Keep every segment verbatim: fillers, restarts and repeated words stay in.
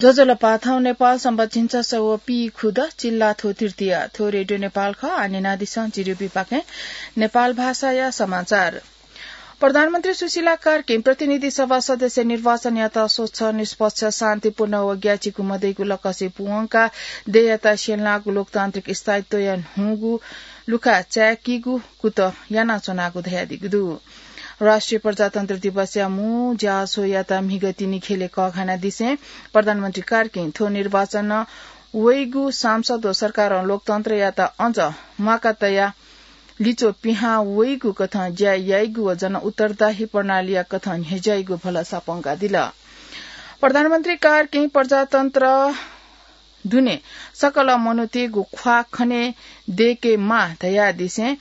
ज्वजलपा, थौं नेपाल संवत् झिंछसः व पीखुद, चिल्लाथ्व तृतीया। थ्व रेडियो नेपाल खः। आः न्यनादिसँ जिरिपिपाखें नेपाल भाषाया समाचार। प्रधानमन्त्री सुशीला कार्कीं प्रतिनिधि सभा सदस्य निर्वाचनयात स्वच्छ, निष्पक्ष, शान्तिपूर्ण व ग्याचिकु मदइगु लकसय् पूवंकाः देय्‌यात स्यंलाःगु लोकतान्त्रिक स्थायित्वया न्हूगु लुखा चाय्‌कीगु कुतः यानाच्वनागु धयादीगु दु। राष्ट्रिय प्रजातन्त्र दिवसया मू ज्याझ्वःयात म्हिगः तिनि ख्यलय् कःघानादिसें प्रधानमन्त्री कार्कीं थ्व निर्वाचनं वइगु सांसद व सरकारं लोकतन्त्रयात अझ म्वाका तयाः लिच्वः पिहां वइगु कथं ज्या याइगु व जनउत्तरदायी प्रणालीया कथं न्ह्यज्याइगु भलसा प्वंकादिल। प्रधानमन्त्री कार्कीं प्रजातन्त्र दुने सकल मनूतय्‌गु ख्वाः खने दय्‌केमाः धयादिसें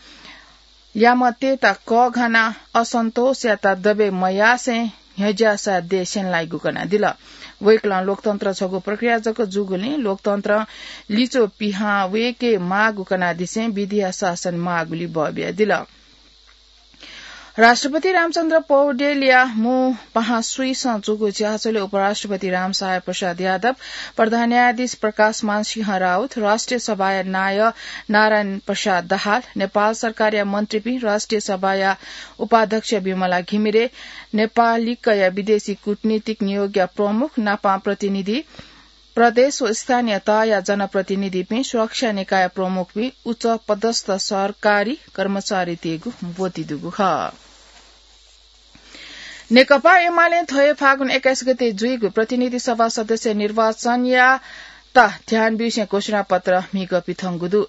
यामतय्‌त कःघानाः असन्तोषयात दबे मयासें न्ह्यज्याःसा देय् स्यंलाइगु कनादिल। वय्‌कलं लोकतन्त्र छगू प्रक्रिया जक जूगुलिं लोकतन्त्रं लिच्वः पिहां वय्‌केमाःगु कनादिसें विधिया शासन माःगुलि बः बियादिल। राष्ट्रपति रामचन्द्र पौडेलया मू पाहां स्वीसं जूगु ज्याझ्वलय् उपराष्ट्रपति रामसहाय प्रसाद यादव, प्रधान न्यायाधीश प्रकाशमान सिंह राउत, राष्ट्रिय सभाया नायः नारायण प्रसाद दाहाल, नेपाल सरकारया मन्त्रीपिं, राष्ट्रिय सभाया उपाध्यक्ष विमला घिमिरे, नेपालिकया विदेशी कूटनीतिक नियोगया प्रमुख नापं प्रतिनिधि, प्रदेश व स्थानीय तहया जनप्रतिनिधिपिं, सुरक्षा निकाय प्रमुखपिं, उच्च पदस्थ सरकारी कर्मचारीतय्‌गु ब्वति दुगु खः। नेकपा एमालें थ्व हे फागुन एक्काइस गते जुइगु प्रतिनिधि सभा सदस्य निर्वाचनयात ध्यान ब्यूसें घोषणापत्र म्हिगः पिथंगु दु।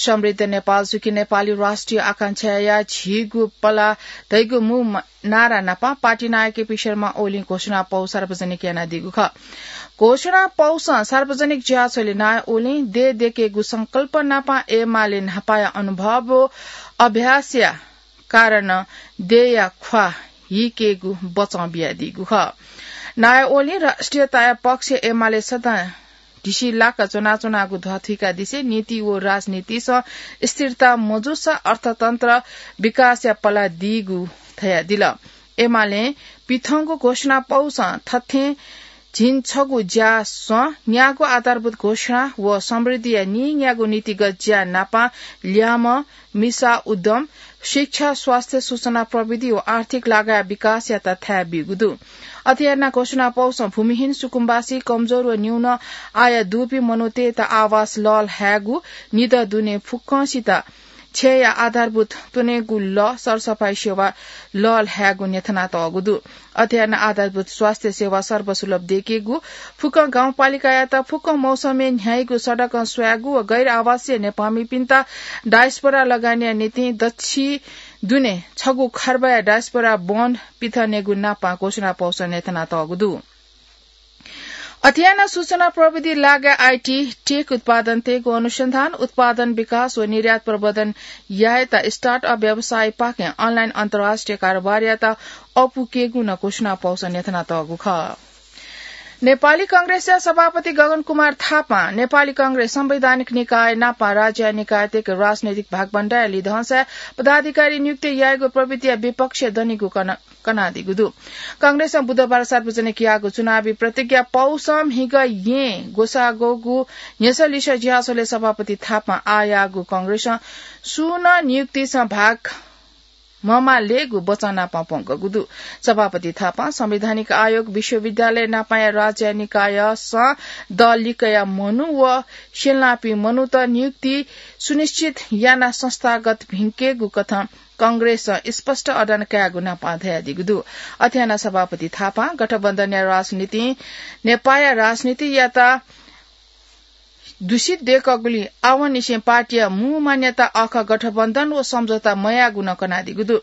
समृद्ध नेपाल, सुखी नेपालया राष्ट्रिय आकांक्षाया झीगु पला धइगु मू नारा नापं पार्टी नायःपिं शर्मा ओलीं घोषणापौ सार्वजनिक यानादीगु खः। घोषणापौसं सार्वजनिक ज्याझ्वलय् नायः ओलीं देय् दय्‌केगु संकल्प नापं एमाले न्हापाया अनुभव व अभ्यासया कारणं देय्‌या ख्वाः हीकेगु बचं बियादीगु खः। नायः ओलीं राष्ट्रियताया पक्षय् एमाले सदां ढिसिलाक च्वनाच्वनागु ध्वाथुइकादिसें नीति व राजनीतिसं स्थिरता मजूसा अर्थतन्त्र विकासया पला दीगु धयादिल। एमालें पिथंगु घोषणापौसं थथें झिंछगू ज्यासं न्यागू आधारभूत घोषणा व समृद्धिया नीन्यागू नीतिगत ज्या नापं ल्याय्म्ह मिसा उद्यम, शिक्षा, स्वास्थ्य, सूचना प्रविधि व आर्थिक लगायया विकासयात थाय् ब्यूगु दु। अथे यानाः घोषणापौसं भूमिहीन, सुकुम्बासी, कमजोर व न्यून आय दुपिं मनूतय्‌त आवास लःल्हायेगु, निदँ दुने फुक्कंसित छेँया आधारभूत त्वनेगु लः, सरसफाई सेवा लःल्हायेगु न्ह्यथनातःगु दु। अथे यानाः आधारभूत स्वास्थ्य सेवा सर्वसुलभ दय्‌केगु, फुक्कं गाउँपालिकायात फुक्कं मौसमय् न्ह्याइगु सडकं स्वयेगु व गैर आवासीय नेपाःमिपिन्त डायस्पोरा लगानीया निंतिं दच्छि दुने छगू खर्बया डायस्पोरा बन्ड पिथनेगु नापं घोषणापौसं न्ह्यथनातःगु दु। अथे यानाः सूचना प्रविधि लगायत आईटी टेक उत्पादनतय्‌गु अनुसन्धान, उत्पादन विकास व निर्यात प्रवर्धन यायेत स्टार्टअप व्यवसायपाखें अनलाइन अन्तर्राष्ट्रिय कारोबारयात अःपुकेगु नं घोषणापौसं न्ह्यथनातःगु खः। नेपाली कांग्रेसया सभापति गगन कुमार थापां नेपाली कांग्रेस संवैधानिक निकाय नापं राज्य निकायतय्‌के राजनैतिक भागबण्डाया लिधंसाय् पदाधिकारी नियुक्ति यायेगु प्रवृत्तिया विपक्ष दनिगु कन कनादीगु दु। कांग्रेसं बुधबार सार्वजनिक याःगु चुनावी प्रतिज्ञा पौसं म्हिगः येँ ग्वसाः ग्वःगु न्ह्यसः लिसः ज्याझ्वलय् सभापति थापां आः याःगु कांग्रेसं सुं नं नियुक्तिसं भाग ममालेगु बचं नापं प्वंकूगु दु। सभापति थापां संवैधानिक आयोग, विश्वविद्यालय नापंया राज्य निकायसं दल लिकया मनू व स्यंलापिं मनूत नियुक्ति सुनिश्चित यानाः संस्थागत भिंकेगु कथं कांग्रेसं स्पष्ट अडान कायेगु नापं धयादीगु दु। अथे यानाः सभापति थापां गठबन्धनया राजनीतिं नेपाःया राजनीतियात दूषित दय्‌कूगुलिं आवंनिसें पार्टीया मू मान्यता अःखः गठबन्धन व सम्झौता मयायेगु नं कनादीगु दु।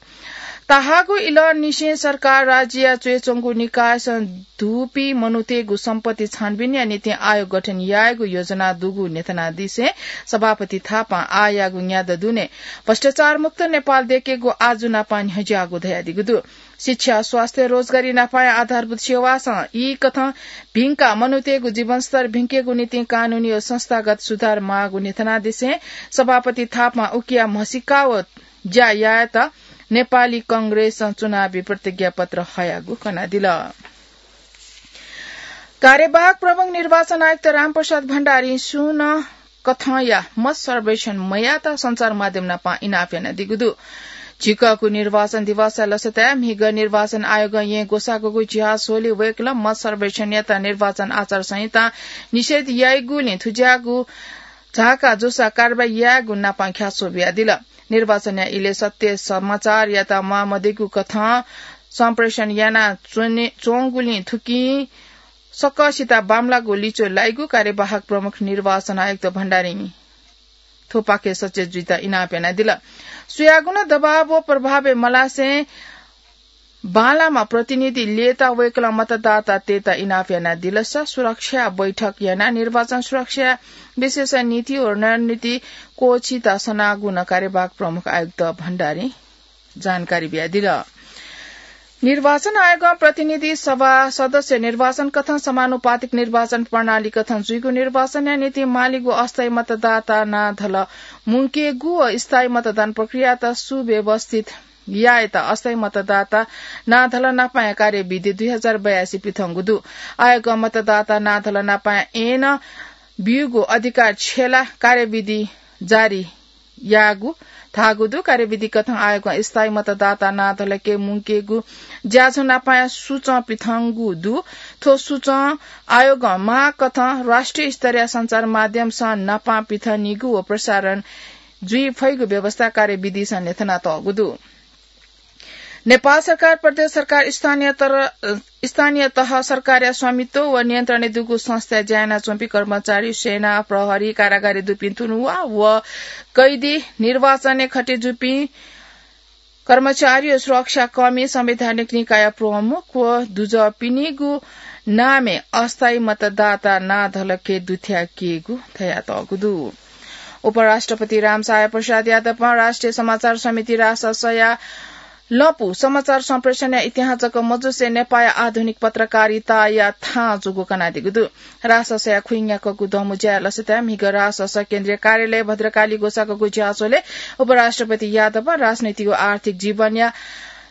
तःहाकःगु इलंनिसें सरकार राज्यया च्वय् च्वंगु निकायसं दुपिं मनूतय्‌गु सम्पत्ति छानबिनया निंतिं आयोग गठन यायेगु योजना दुगु न्ह्यथनादिसें सभापति थापां आः याःगु न्यादँ दुने भ्रष्टाचारमुक्त नेपाल दय्‌केगु आजु नापं न्ह्यज्याःगु धयादीगु दु। शिक्षा, स्वास्थ्य, रोजगारी नापंया आधारभूत सेवासं ई कथं भिंकाः मनूतय्‌गु जीवनस्तर भिंकेगु निंतिं कानूनी व संस्थागत सुधार माःगु न्ह्यथनादिसें सभापति थापां उकिया म्हसीका व ज्या यायेत नेपाली कांग्रेसं चुनावी प्रतिज्ञापत्र हयागु कनादिल। कार्यवाहक प्रमुख निर्वाचन आयुक्त रामप्रसाद भण्डारीं सुं नं कथंया मत सर्वेक्षण मयात सञ्चार माध्यम नाप इनाप यानादीगु दु। झिकःगु निर्वाचन दिवसया लसताय् म्हिगः निर्वाचन आयोगं येँ ग्वसाःगुगु झ्याः स्वले वय्कलं मत सर्वेक्षणयात निर्वाचन आचार संहितां निषेध याइगुलिं थुज्याःगु झाका जूसा कारवाही यायेगु नाप ख्याच्वः बियादिल। निर्वाचनया इलय् सत्य समाचारयात म्वाःमदीगु कथं सम्प्रेषण याना च्वने, च्वंगुलिं थुकिं सकसित बांमलाःगु लिच्वः लाइगु कार्यवाहक प्रमुख निर्वाचन आयुक्त भण्डारीं थ्वपाखे सचेत जुइत इनाप यानादिल। सुयागुं नं दबाव व प्रभावय् मलासें बांलाःम्ह प्रतिनिधि लय्ताः वय्कलं मतदातातय्त इनाप यानादिलसा सुरक्षा बैठक यानाः निर्वाचन सुरक्षा विशेष नीति व रणनीति कोछित सनागु नं कार्यवाहक प्रमुख आयुक्त भण्डारीं जानकारी बियादिल। निर्वाचन आयोगं प्रतिनिधि सभा सदस्य निर्वाचन कथं समानुपातिक निर्वाचन प्रणाली कथं जुइगु निर्वाचनया निंतिं मालीगु अस्थायी मतदाता नां धल मुंकेगु व स्थायी मतदान प्रक्रियात सुव्यवस्थित यायेत अस्थायी मतदाता नां धल नापाया कार्यविधि दुई हजार बयासी पिथंगु दु। आयोगं मतदाता नां धल नापाया ऐन ब्यूगु अधिकार छ्यला कार्यविधि जारी याःगु धाःगु दु। कार्यविधि कथं आयोगं स्थायी मतदाता नां धलके मुंकेगु ज्याझ्वः नापाया सूचं पिथंगु दु। थ्व सूचं आयोगं माग कथं राष्ट्रिय स्तरीय सञ्चार माध्यमसं नापां पिथंनीगु व प्रसारण जुइ फइगु व्यवस्था कार्यविधिसं न्ह्यथनातःगु दु। नेपाल सरकार, प्रदेश सरकार, स्थानीय तर-, स्थानीय तह सरकारया स्वामित्व व नियन्त्रणय् दुगु संस्थाय् ज्या यानाच्वंपिं कर्मचारी, सेना, प्रहरी, कारागारय् दुपिं तुनुवा व कैदी, निर्वाचनय् खटे जूपिं कर्मचारी व सुरक्षाकर्मी, संवैधानिक निकाय प्रमुख व दुजःपिनिगु नामय् अस्थायी मतदाता नां धलके दुथ्याकेगु धयातःगु दु। उपराष्ट्रपति रामसहाय प्रसाद यादवं राष्ट्रिय समाचार समिति राससया लँपु समाचार सम्प्रेषणया इतिहास जक मजुसे नेपाःया आधुनिक पत्रकारिताया थां जूगु कनादीगु दु। राससया खुइन्याकःगु दमु ज्याया लसताय् म्हिगः रासस केन्द्रीय कार्यालय भद्रकाली ग्वसाःगु ज्याझ्वलय् उपराष्ट्रपति यादवं राजनैतिक व आर्थिक जीवनया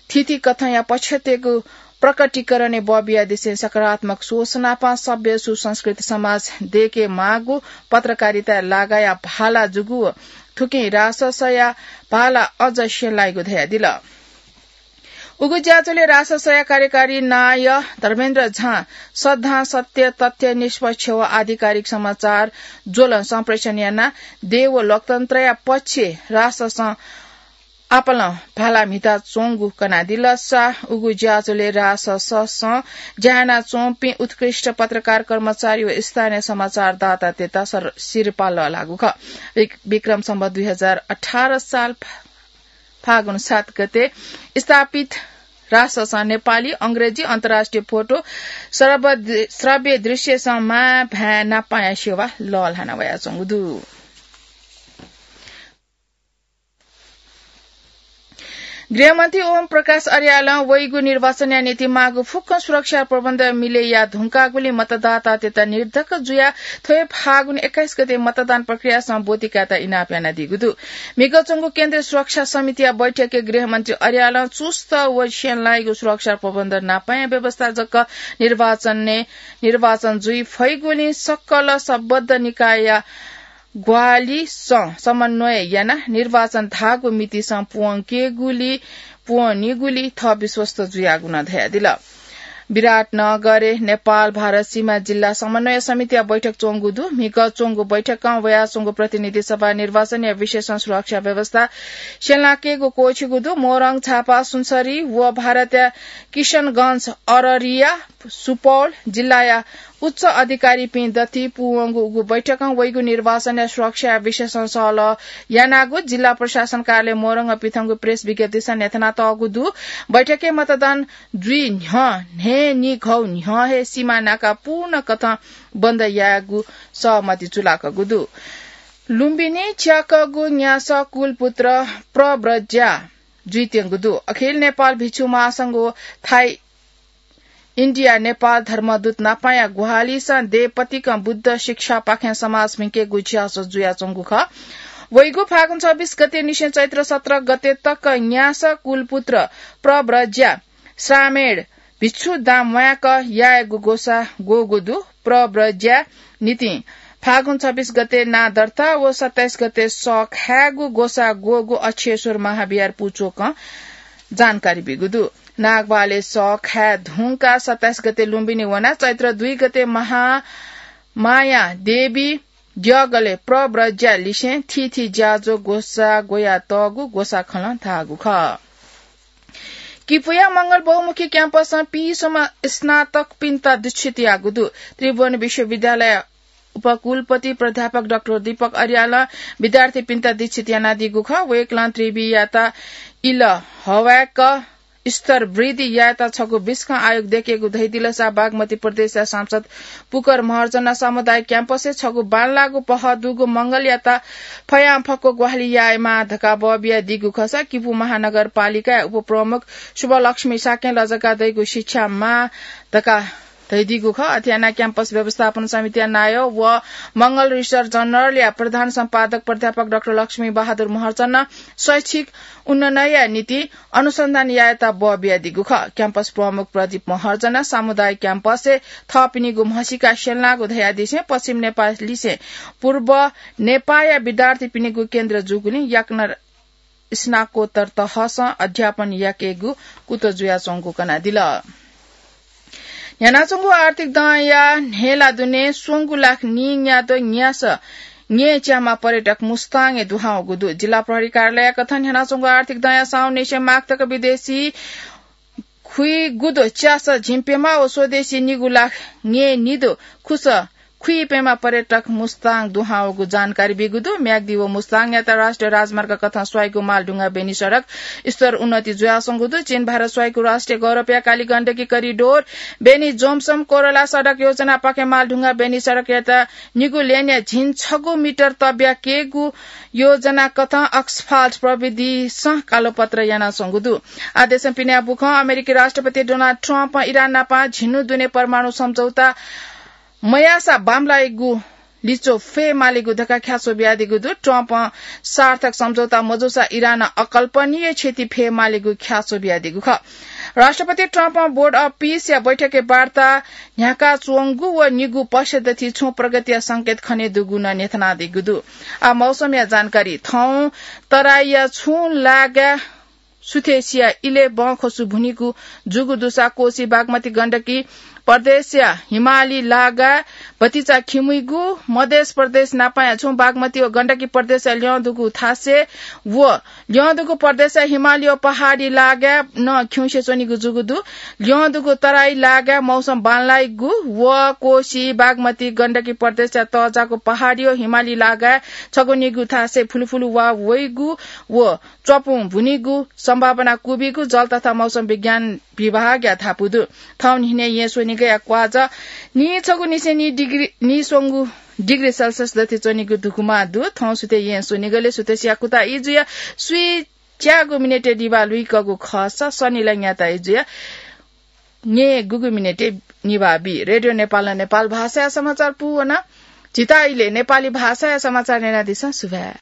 थीथी कथंया पक्षत्यगु प्रकटीकरणय् बबियादिसें सकारात्मक सोच नापं सभ्य सुसंस्कृत समाज दयेके माःगु पत्रकारिताय् लागाया भाला जूगु व थुकिं राससया भाला अझ स्यंलाइगु धयादिल। उगु ज्याझ्वलय् राससया कार्यकारी नायः धर्मेन्द्र झां सद्धां सत्य, तथ्य, निष्पक्ष व आधिकारिक समाचार ज्वलं सम्प्रेषण यानाः देय् व लोकतन्त्रया पक्षय् राससं आपालं भाला म्हिता च्वंगु कनादिलसा उगु ज्याझ्वलय् राससं ज्या यानाच्वंपिं उत्कृष्ट पत्रकार, कर्मचारी व स्थानीय समाचारदातातय्त सर-, सिरपाः लःल्हाःगु खः। विक-, विक्रम सम्वत दुई हजार अठार साल फा-, फागुन सात गते स्थापित राससं नेपाली, अंग्रेजी, अन्तर्राष्ट्रिय फोटो, श्रव्य दृ-, श्रव्य दृश्यसं मां भाय् नापाया सेवा लःल्हाना वयाच्वंगु दु। गृहमन्त्री ओम प्रकाश अर्यालं वइगु निर्वाचनया निंतिं माःगु फुक्क सुरक्षा प्रबन्ध मिले याये धुंकाःगुलिं मतदातातय्त निर्धक्क जुयाः थ्व हे फागुन एक्काइस गते मतदान प्रक्रियासं ब्वति कायेत इनाप यानादीगु दु। म्हिगः च्वंगु केन्द्रीय सुरक्षा समितिया बैठकय् गृहमन्त्री अर्यालं चुस्त व स्यंलाइगु सुरक्षा प्रबन्ध नापाया व्यवस्था जक निर्वाचनय् निर्वाचन जुइ फइगुलिं सकल सम्बद्ध निकायया ग्वाहालिसं समन्वय यानाः निर्वाचन धाःगु मितिसं पूवंकेगुली, पूवंनीगुली थः विश्वस्त जुयागु नं धयादिल। विराटनगरय् नेपाल भारत सीमा जिल्ला समन्वय समितिया बैठक च्वंगु दु। म्हिगः च्वंगु बैठकं वयाच्वंगु प्रतिनिधि सभा निर्वाचनया विषयसं सुरक्षा व्यवस्था स्यंलाकेगु क्वःछिगु दु। मोरङ, झापा, सुनसरी व भारतया किशनगञ्ज, अररिया, सुपौल जिल्लाया उच्च अधिकारीपिं दथुइ पूवंगु उगु बैठकं वइगु निर्वाचनया सुरक्षाया विषयसं सहलह यानागु जिल्ला प्रशासन कार्यालय मोरङं पिथंगु प्रेस विज्ञप्तिसं न्ह्यथनातःगु दु। बैठकय् मतदान जुइ न्ह्यः न्हय्‌निघौ न्ह्यः हे सीमा नाका पूर्ण कथं बन्द यायेगु सहमति चुलाकःगु दु। लुम्बिनी च्याकःगु न्यासः कुलपुत्र प्रव्रज्या जुइत्यंगु दु। अखिल नेपाल भिक्षु महासंघ व थाई इन्डिया नेपाल धर्मदूत नापाया ग्वाहालिसं देय् पतिकं बुद्ध शिक्षापाखें समाज म्हिकेगु ज्याझ्वः जुयाच्वंगु खः। वइगु फागुन छब्बीस गते निसें चैत्र सत्र गते तक न्यासः कुलपुत्र प्रव्रज्या श्रामेण भिक्षु दां म्वायेक यायेगु ग्वसाः ग्वःगु दु। प्रव्रज्या निंतिं फागुन छब्बीस गते नां दर्ता व सत्ताइस गते सः खायेगु ग्वसाः ग्वःगु अक्षेश्वर महाविहार पुचोकं जानकारी ब्यूगु दु। नागबहालय् सः खाये धुंकाः सत्ताइस गते लुम्बिनी वनाः चैत्र दुई गते महामाया देवी द्यःगलय् प्रव्रज्या लिसें थीथी ज्याझ्वः ग्वसाः ग्वयातःगु ग्वसाःखलं धाःगु खः। किपुया मंगल बहुमुखी क्याम्पसं पीसम्म स्नातकपिन्त दीक्षित याःगु दु। त्रिभुवन विश्वविद्यालय उपकुलपति प्राध्यापक डाक्टर दीपक अर्यालं विद्यार्थीपिन्त दीक्षित यानादीगु खः। वय्कलं त्रिवियात इलहवाय्क स्तर वृद्धि यायेत छगू बिस्कं आयोग दयेकेगु धयादिलसा बागमती प्रदेशया सांसद पुकर महर्जन सामुदायिक क्याम्पसय् छगू बांलाःगु पहः दुगु मंगलयात फयांफक्व ग्वाहालि यायेमाः धकाः बः बियादीगु खःसा किपू महानगरपालिकाया उपप्रमुख शुभलक्ष्मी शाक्यं लजगाः दइगु शिक्षा माः धकाः धयादीगु खः। अथे यानाः क्याम्पस व्यवस्थापन समितिया नायः व मंगल रिसर्च जर्नलया प्रधान सम्पादक प्राध्यापक डाक्टर लक्ष्मी बहादुर महर्जनं शैक्षिक उन्नयनया निंतिं अनुसन्धान यायेत बः बियादीगु खः। क्याम्पस प्रमुख प्रदीप महर्जनं सामुदायिक क्याम्पसय् थःपिनिगु म्हसीका स्यंलाःगु धयादिसें पश्चिम नेपाललिसें पूर्व नेपाःया विद्यार्थीपिनिगु केन्द्र जूगुलिं याकनं स्नाकोत्तर तहसं अध्यापन याकेगु कुतः जुयाच्वंगु कनादिल। न्ह्यानाच्वंगु आर्थिक दँया न्हय्ला दुने स्वंगू लाख नीन्याद्वः न्यासः न्यय् च्यामा पर्यटक मुस्ताङय् दुहां वःगु दु। जिल्ला प्रहरी कार्यालयया कथं न्ह्यानाच्वंगु आर्थिक दँया साउन निसें माघ तक विदेशी खुइगुद्वः च्यासः झिंप्यम्ह व स्वदेशी निगू लाख न्यय् निद्वः खुसः खुइप्यम्ह पर्यटक मुस्ताङ दुहां वःगु जानकारी ब्यूगु दु। म्याग्दी व मुस्ताङयात राष्ट्रिय राजमार्ग कथं स्वाइगु मालढुङ्गा बेनी सडक स्तर उन्नति जुयाच्वंगु दु। चीन भारत स्वाइगु राष्ट्रिय गौरवया काली गण्डकी करिडोर बेनी जोमसम कोरला सडक योजनापाखें मालढुङ्गा बेनी सडकयात निगू लेनया झिंछगू मिटर तब्याकेगु योजना कथं asphalt प्रविधिसं कालोपत्र यानाच्वंगु दु। आदेशं पिने बुखं अमेरिकी राष्ट्रपति डोनाल्ड ट्रम्पं इरान नाप झिन्हु दुने परमाणु सम्झौता मयाःसा बांमलाइगु लिच्वः फयेमालीगु धकाः ख्याच्वः बियादीगु दु। ट्रम्पं सार्थक सम्झौता मजूसा इरानं अकल्पनीय क्षति फयेमालीगु ख्याच्वः बियादीगु खः। राष्ट्रपति ट्रम्पं Board of Peace या बैठकय् वार्ता न्ह्याकाच्वंगु व निगू पक्षदथि छुं प्रगतिया संकेत खनेदुगु नं न्ह्यथनादीगु दु। आः मौसमया जानकारी। थौं तराईया छुं लागाय् सुथसिया इलय् बँखसु भुनिगु जूगु दुसा कोशी बागमती गण्डकी प्रदेशया हिमाली लागाय् भतिचा खिमुइगु, मधेश प्रदेश नापया छुं बागमती व गण्डकी प्रदेशया ल्यं दुगु थासय् व ल्यं दुगु प्रदेशया हिमाली व पहाडी लागाय् नं खिउँसे च्वनीगु जूगु दु। ल्यं दुगु तराई लागाय् मौसम बांलाइगु व कोशी बागमती गण्डकी प्रदेशया तःजाःगु पहाडी व हिमाली लागाय् छगू निगू थासय् फुलुफुलु वा वइगु व च्वपुं भुनिगु सम्भावना क्वबिगु जल तथा मौसम विज्ञान विभागया धापू दु। थौं न्हिनय् येँ स्वनिगःया क्वाःझः नीछगू निसें नी डिग्री, नीस्वंगू डिग्री सेल्सियस दथि च्वनीगु धुकुमा दु। थौं सुथय् येँ स्वनिगलय् सुथसिया कुता इजुया स्वीच्यागू मिनेटय् निभाः लुइकःगु खःसा सनिलंयात इजुया न्यय्गूगु मिनेटय् निभाः बी। रेडियो नेपालं नेपाल भाषाया समाचार पूवना। झीत इलय् नेपाली भाषाया समाचार न्यनादिसँ। सुभाय्।